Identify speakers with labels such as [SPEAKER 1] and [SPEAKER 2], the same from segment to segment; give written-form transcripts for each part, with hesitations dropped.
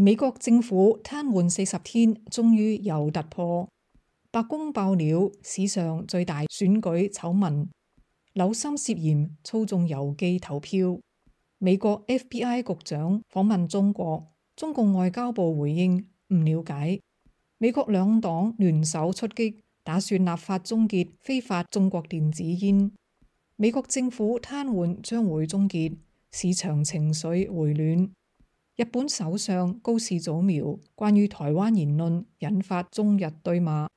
[SPEAKER 1] 美國政府癱瘓40天，終於有突破。白宮爆料史上最大選舉醜聞，紐森涉嫌操縱郵寄投票。美國 FBI 局長訪問中國，中共外交部回應唔了解。美國兩黨聯手出擊，打算立法終結非法中國電子煙。美國政府癱瘓將會終結，市場情緒回暖。日本首相高市早苗關於台灣言論引發中日對罵。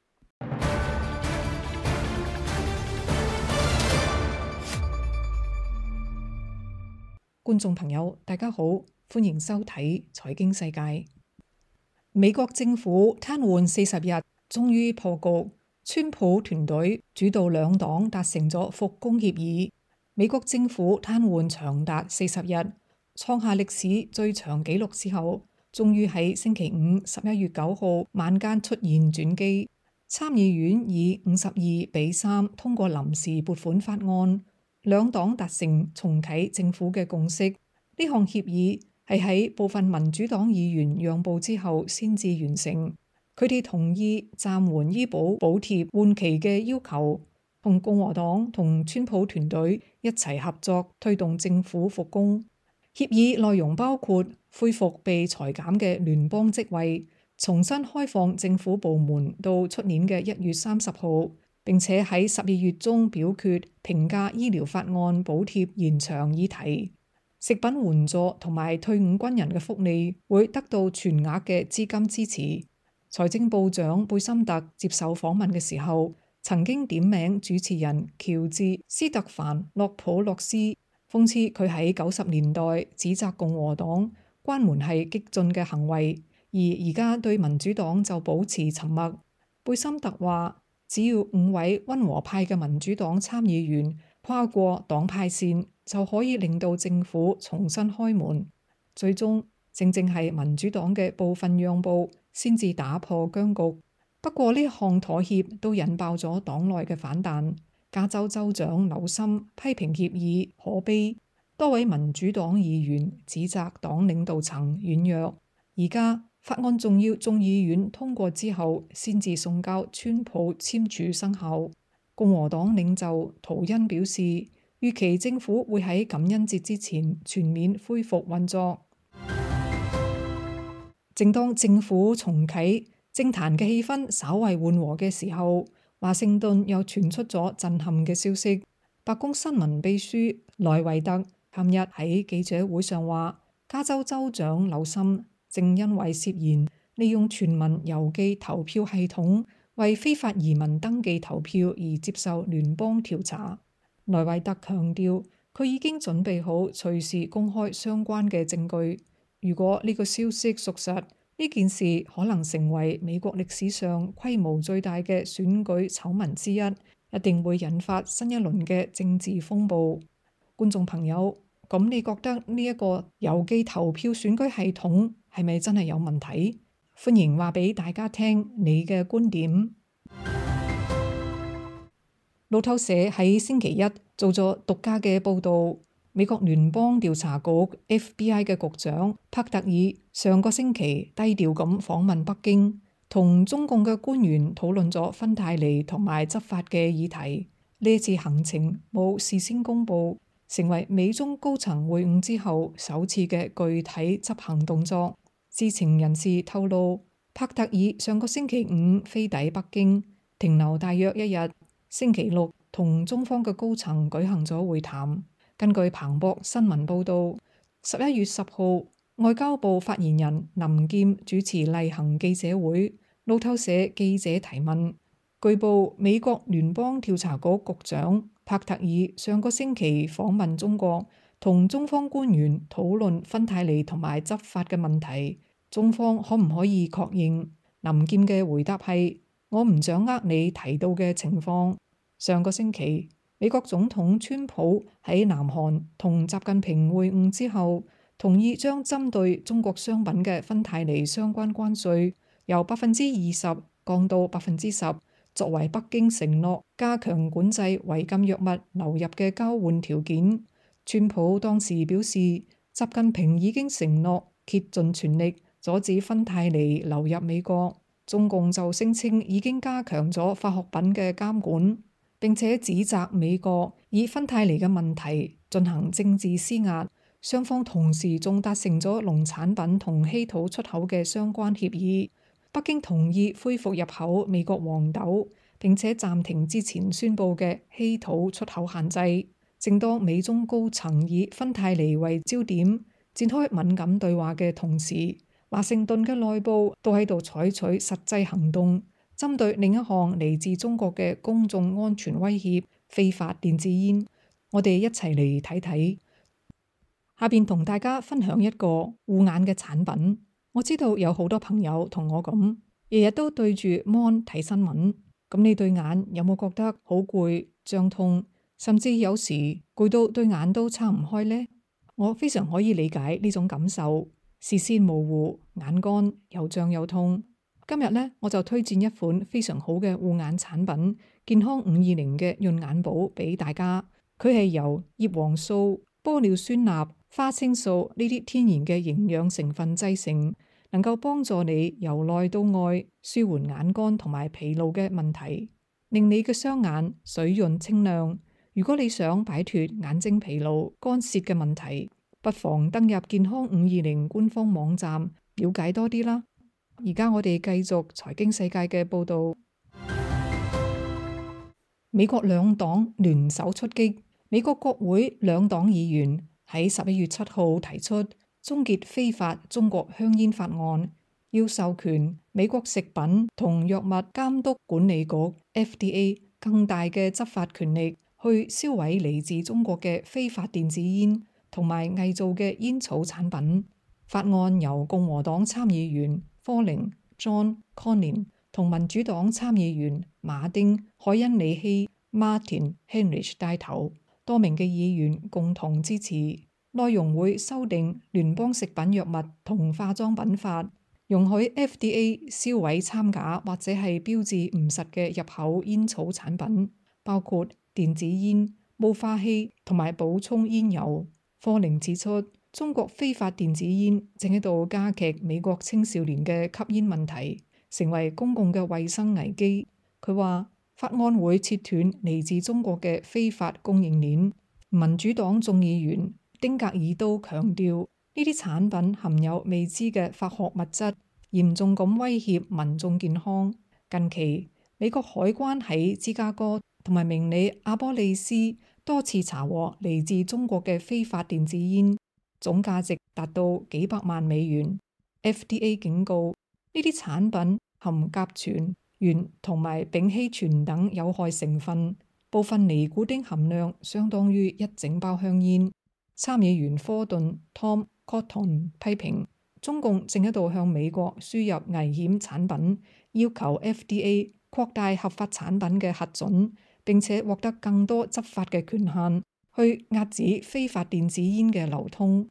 [SPEAKER 1] 觀眾朋友，大家好，歡迎收睇財經世界。美國政府癱瘓40日，終於破局。川普團隊主導兩黨達成咗復工協議。美國政府癱瘓長達40日，創下歷史最長紀錄之後，終於喺星期五11月9號晚間出現轉機。參議院以52-3通過臨時撥款法案，兩黨達成重啟政府嘅共識。呢項協議係喺部分民主黨議員讓步之後先至完成。佢哋同意暫緩醫保補貼換期嘅要求，同共和黨同川普團隊一齊合作推動政府復工。協議內容包括恢復被裁減嘅聯邦職位，重新開放政府部門到出年嘅1月30號，並且喺12月中表決平價醫療法案補貼延長議題。食品援助同埋退伍軍人嘅福利會得到全額嘅資金支持。財政部長貝森特接受訪問嘅時候，曾經點名主持人喬治斯特凡洛普洛斯，諷刺佢喺90年代指責共和黨關門係激進嘅行為，而家對民主黨就保持沉默。貝森特話，只要5位溫和派嘅民主黨參議員跨過黨派線，就可以令到政府重新開門。最終正係民主黨嘅部分讓步先至打破僵局。不過呢項妥協都引爆咗黨內嘅反彈。加州州長紐森批評協議可悲，多位民主黨議員指責黨領導層軟弱。而家法案仲要眾議院通過之後先至送交川普簽署生效。共和黨領袖圖恩表示，預期政府會喺感恩節之前全面恢復運作。正當政府重啟，政壇嘅氣氛稍為緩和嘅時候，華盛頓又傳出咗震撼嘅消息。白宮新聞秘書萊維特琴日喺記者會上話，加州州長紐森正因為涉嫌利用全民郵寄投票系統為非法移民登記投票而接受聯邦調查。萊維特強調，佢已經準備好隨時公開相關嘅證據。如果呢個消息屬實，呢件事可能成為美國歷史上規模最大嘅選舉醜聞之一，一定會引發新一輪嘅政治風暴。觀眾朋友，咁你覺得呢一個郵寄投票選舉系統係咪真係有問題？歡迎話俾大家聽你嘅觀點。路透社喺星期一做咗獨家嘅報導。美國聯邦調查局 FBI 嘅局長帕特爾上個星期低調咁訪問北京，同中共嘅官員討論咗芬太尼同埋執法嘅議題。呢次行程冇事先公佈，成為美中高層會晤之後首次嘅具體執行動作。知情人士透露，帕特爾上個星期五飛抵北京，停留大約一日，星期六同中方嘅高層舉行咗會談。根據彭博新聞報導，11月10號，外交部發言人林劍主持例行記者會。路透社記者提問，據報美國聯邦調查局局長帕特爾上個星期訪問中國，同中方官員討論芬太尼同埋執法嘅問題。中方可唔可以確認？林劍嘅回答係：我唔掌握你提到嘅情況。上個星期，美國總統川普喺南韓同習近平會晤之後，同意將針對中國商品嘅芬太尼相關關稅由20%降到10%，作為北京承諾加強管制違禁藥物流入嘅交換條件。川普當時表示，習近平已經承諾竭盡全力阻止芬太尼流入美國。中共就聲稱已經加強咗化學品嘅監管，並且指責美國以芬太尼嘅問題進行政治施壓。雙方同時仲達成咗農產品同稀土出口嘅相關協議。北京同意恢復入口美國黃豆，並且暫停之前宣布嘅稀土出口限制。正當美中高層以芬太尼為焦點展開敏感對話嘅同時，華盛頓嘅內部都喺度採取實際行動，針對另一項嚟自中國嘅公眾安全威脅——非法電子煙。我哋一齊嚟睇睇。下邊同大家分享一個護眼嘅產品。我知道有好多朋友同我咁，日日都對住 mon 睇新聞。咁你對眼有冇覺得好攰、脹痛，甚至有時攰到對眼都撐唔開呢？我非常可以理解呢種感受，視線模糊、眼乾又脹又痛。今日呢，我就推薦一款非常好嘅護眼產品——健康520嘅潤眼寶俾大家。佢係由葉黃素、玻尿酸鈉、花青素呢啲天然嘅營養成分製成，能夠幫助你由內到外舒緩眼乾同埋疲勞嘅問題，令你嘅雙眼水潤清亮。如果你想擺脫眼睛疲勞、乾澀嘅問題，不妨登入健康520官方網站了解多啲啦。而家我哋繼續財經世界嘅報道。美國兩黨聯手出擊，美國國會兩黨議員喺11月7號提出終結非法中國香煙法案，要授權美國食品同藥物監督管理局 FDA 更大嘅執法權力，去銷毀嚟自中國嘅非法電子煙同埋偽造嘅煙草產品。法案由共和黨參議員科寧 John Cornyn 同民主黨參議員馬丁海恩里希 Martin Heinrich 帶頭，多名嘅議員共同支持。內容會修訂聯邦食品藥物同化妝品法，容許 FDA 銷毀摻假或者係標誌唔實嘅入口煙草產品，包括電子煙、霧化器同埋補充煙油。科寧指出，中國非法電子煙正喺度加劇美國青少年嘅吸煙問題，成為公共嘅衛生危機。佢話法案會切斷嚟自中國嘅非法供應鏈。民主黨眾議員丁格爾都強調，呢啲產品含有未知嘅化學物質，嚴重咁威脅民眾健康。近期，美國海關喺芝加哥同埋明尼阿波利斯多次查獲嚟自中國嘅非法電子煙，總價值達到幾百萬美元。FDA 警告，呢啲產品含甲醛、鉛同埋丙烯醛等有害成分，部分尼古丁含量相當於一整包香煙。參議員科頓 Tom Cotton 批評，中共正喺度向美國輸入危險產品，要求 FDA 擴大合法產品嘅核准，並且獲得更多執法嘅權限，去遏止非法電子煙嘅流通。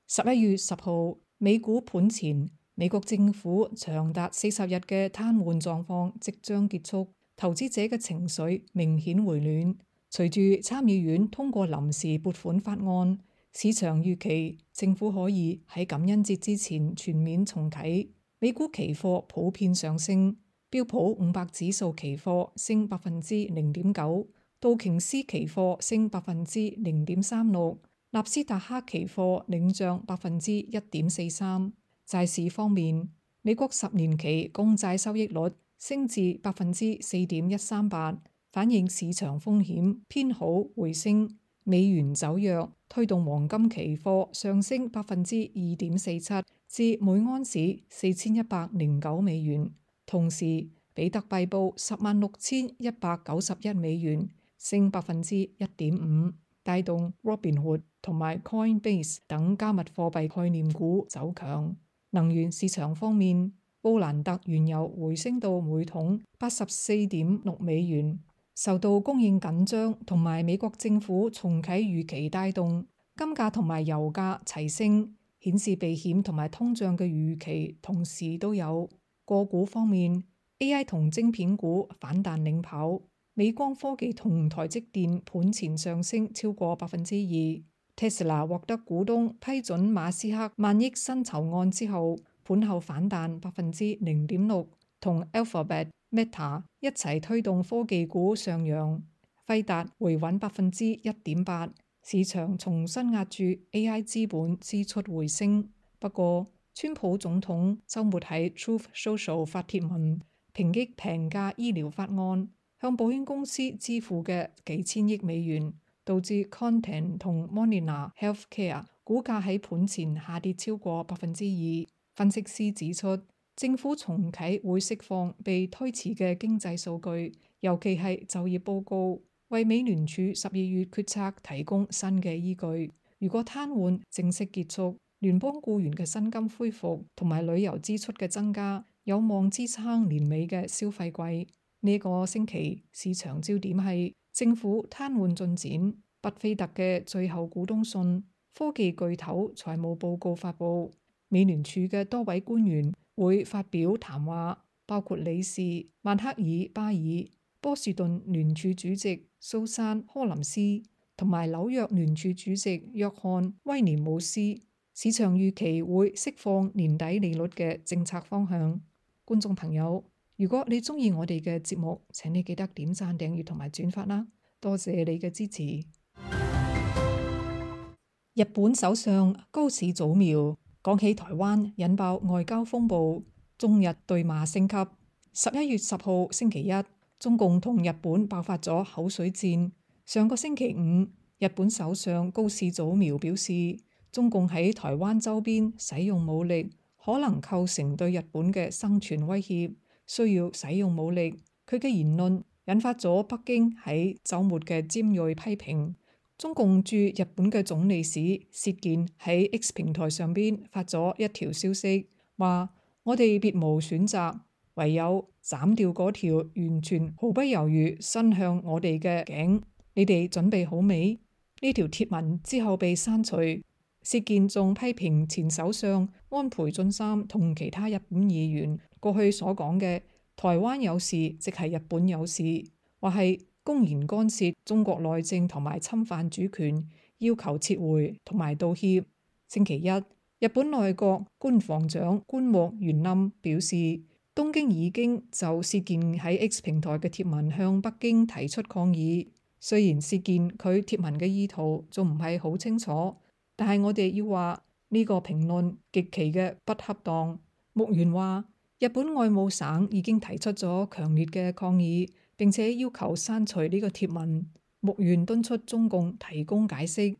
[SPEAKER 1] 11月10號，美股盤前，美國政府長達40日嘅癱瘓狀況即將結束，投資者嘅情緒明顯回暖。隨住參議院通過臨時撥款法案，市場預期政府可以喺感恩節之前全面重啟。美股期貨普遍上升，標普500指數期貨升0.9%，道瓊斯期貨升0.36%，納斯達克期貨領漲1.43%。債市方面，美國10年期公債收益率升至4.138%。反映市場風險偏好回升，美元走弱，推動黃金期貨上升2.47%至每盎司4109美元。同時，比特幣報106191美元，升1.5%，帶動 Robinhood 同埋 Coinbase 等加密貨幣概念股走強。能源市場方面，布蘭特原油回升到每桶84.6美元。受到供應緊張同埋美國政府重啟預期帶動，金價同埋油價齊升，顯示避險同埋通脹嘅預期同時都有。個股方面 ，AI 同晶片股反彈領跑，美光科技同台積電盤前上升超過2%。Tesla 獲得股東批准馬斯克萬億薪酬案之後，盤後反彈0.6%，同 Alphabet、Meta 一齊推動科技股上揚。輝達回穩1.8%，市場重新押注 AI 資本支出回升。不過，川普總統週末喺 Truth Social 發帖文，抨擊平價醫療法案向保險公司支付嘅幾千億美元，導致 Content 同 Molina Healthcare 股價喺盤前下跌超過2%。分析師指出，政府重啟會釋放被推遲嘅經濟數據，尤其係就業報告，為美聯儲12月決策提供新嘅依據。如果癱瘓正式結束，聯邦僱員嘅薪金恢復同埋旅遊支出嘅增加，有望支撐年尾嘅消費季。呢個星期市場焦點係政府癱瘓進展、巴菲特嘅最後股東信、科技巨頭財務報告發布。美聯儲嘅多位官員會發表談話，包括理事曼克爾巴爾、波士頓聯儲主席蘇珊柯林斯同埋紐約聯儲主席約翰威廉姆斯。市場預期會釋放年底利率嘅政策方向。觀眾朋友，如果你鍾意我哋嘅節目，請你記得點讚、訂閱同埋轉發啦！多謝你嘅支持。日本首相高市早苗講起台灣引爆外交風暴，中日對罵升級。11月10號星期一，中共同日本爆發咗口水戰。上個星期五，日本首相高市早苗表示，中共喺台灣周邊使用武力，可能構成對日本嘅生存威脅，需要使用武力。佢嘅言論引發咗北京喺週末嘅尖銳批評。中共駐日本嘅總領事薛健喺 X 平台上邊發咗一條消息，話我哋別無選擇，唯有斬掉嗰條完全毫不猶豫伸向我哋嘅頸。你哋準備好未？呢條貼文之後被刪除。薛健仲批評前首相安倍晉三同其他日本議員過去所講嘅台灣有事即係日本有事，或係公然干涉中國內政同埋侵犯主權，要求撤回同埋道歉。星期一，日本內閣官房長官木原稔表示，東京已經就薛健喺 X 平台嘅貼文向北京提出抗議。雖然薛健佢貼文嘅意圖仲唔係好清楚，但係我哋要話呢個評論極其嘅不恰當。木原話，日本外務省已經提出咗強烈嘅抗議，並且要求刪除呢個貼文。木原敦促中共提供解釋。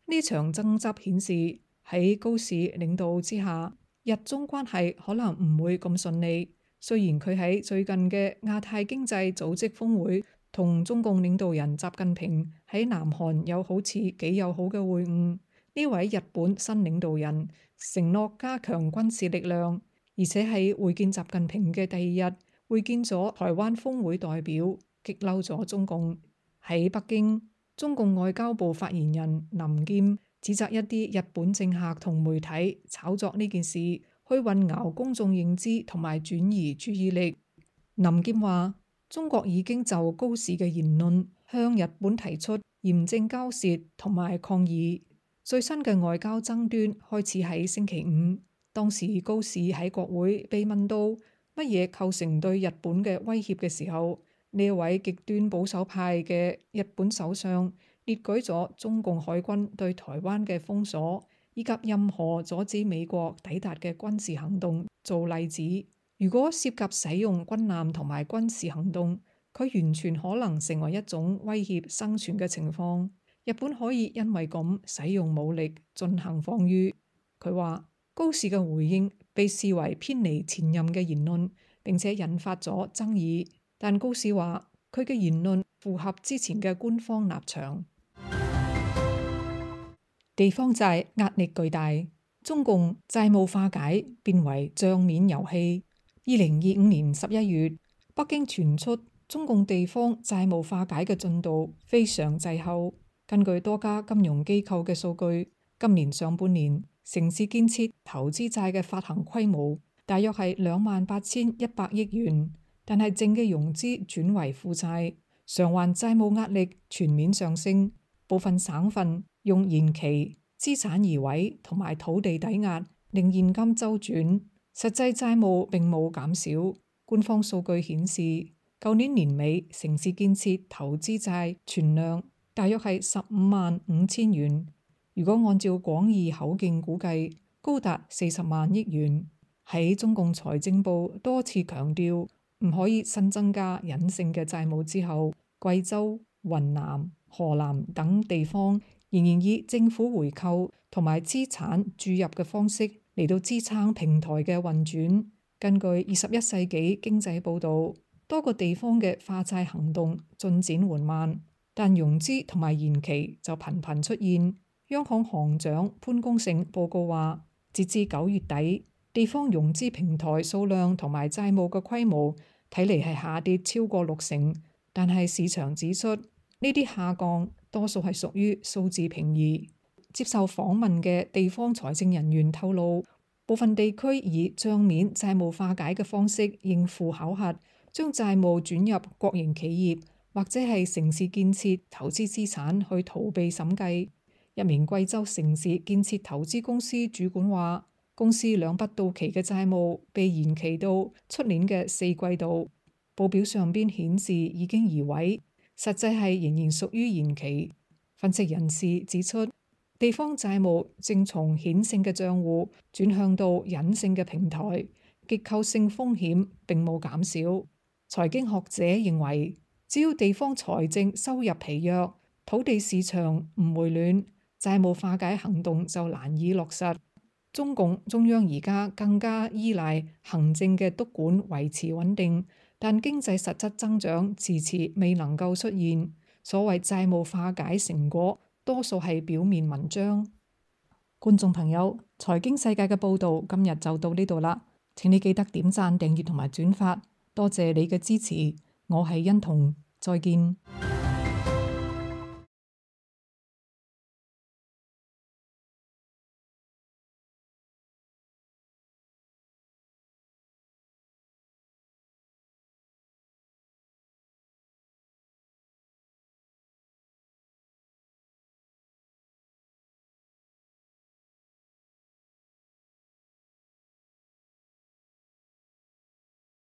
[SPEAKER 1] 呢場爭執顯示喺高市領導之下，日中關係可能唔會咁順利。雖然佢喺最近嘅亞太經濟組織峰會同中共領導人習近平喺南韓有好似幾友好嘅會晤。呢位日本新領導人承諾加強軍事力量，而且喺會見習近平嘅第二日會見咗台灣峰會代表，激嬲咗中共。喺北京，中共外交部發言人林劍指責一啲日本政客同媒體炒作呢件事，去混淆公眾認知同埋轉移注意力。林劍話，中國已經就高市嘅言論向日本提出嚴正交涉同埋抗議。最新嘅外交爭端開始喺星期五，當時高市喺國會被問到乜嘢構成對日本嘅威脅嘅時候，呢位極端保守派嘅日本首相列舉咗中共海軍對台灣嘅封鎖，以及任何阻止美國抵達嘅軍事行動做例子。如果涉及使用軍艦同埋軍事行動，佢完全可能成為一種威脅生存嘅情況。日本可以因為咁使用武力進行防禦。佢話高市嘅回應被視為偏離前任嘅言論，並且引發咗爭議。但高市話佢嘅言論符合之前嘅官方立場。地方債壓力巨大，中共債務化解變為賬面遊戲。2025年11月，北京傳出中共地方債務化解嘅進度非常滯後。根據多家金融機構嘅數據，今年上半年城市建設投資債嘅發行規模大約係28,100億元，但係淨嘅融資轉為負債，償還債務壓力全面上升。部分省份用延期、資產移位同埋土地抵押令現金周轉，實際債務並冇減少。官方數據顯示，舊年年尾城市建設投資債存量大約係15.5萬元，如果按照廣義口徑估計，高達40萬億元。喺中共財政部多次強調唔可以新增加隱性嘅債務之後，貴州、雲南、河南等地方仍然以政府回購同埋資產注入嘅方式嚟到支撐平台嘅運轉。根據21世紀經濟報導，多個地方嘅化債行動進展緩慢，但融資同埋延期就頻頻出現。央行行長潘功勝報告話，截至9月底，地方融資平台數量同埋債務嘅規模睇嚟係下跌超過60%，但係市場指出呢啲下降多數係屬於數字平移。接受訪問嘅地方財政人員透露，部分地區以帳面債務化解嘅方式應付考核，將債務轉入國營企業或者係城市建設投資資產去逃避審計。一名貴州城市建設投資公司主管話，公司2筆到期嘅債務被延期到出年嘅4季度，報表上邊顯示已經移位，實際係仍然屬於延期。分析人士指出，地方債務正從顯性嘅賬戶轉向到隱性嘅平台，結構性風險並冇減少。財經學者認為，只要地方財政收入疲弱，土地市場唔回暖，債務化解行動就難以落實。中共中央而家更加依賴行政嘅督管維持穩定，但經濟實質增長遲遲未能夠出現。所謂債務化解成果，多數係表面文章。觀眾朋友，財經世界嘅報導今日就到呢度啦。請你記得點讚、訂閱同埋轉發，多謝你嘅支持。我係欣彤，再見。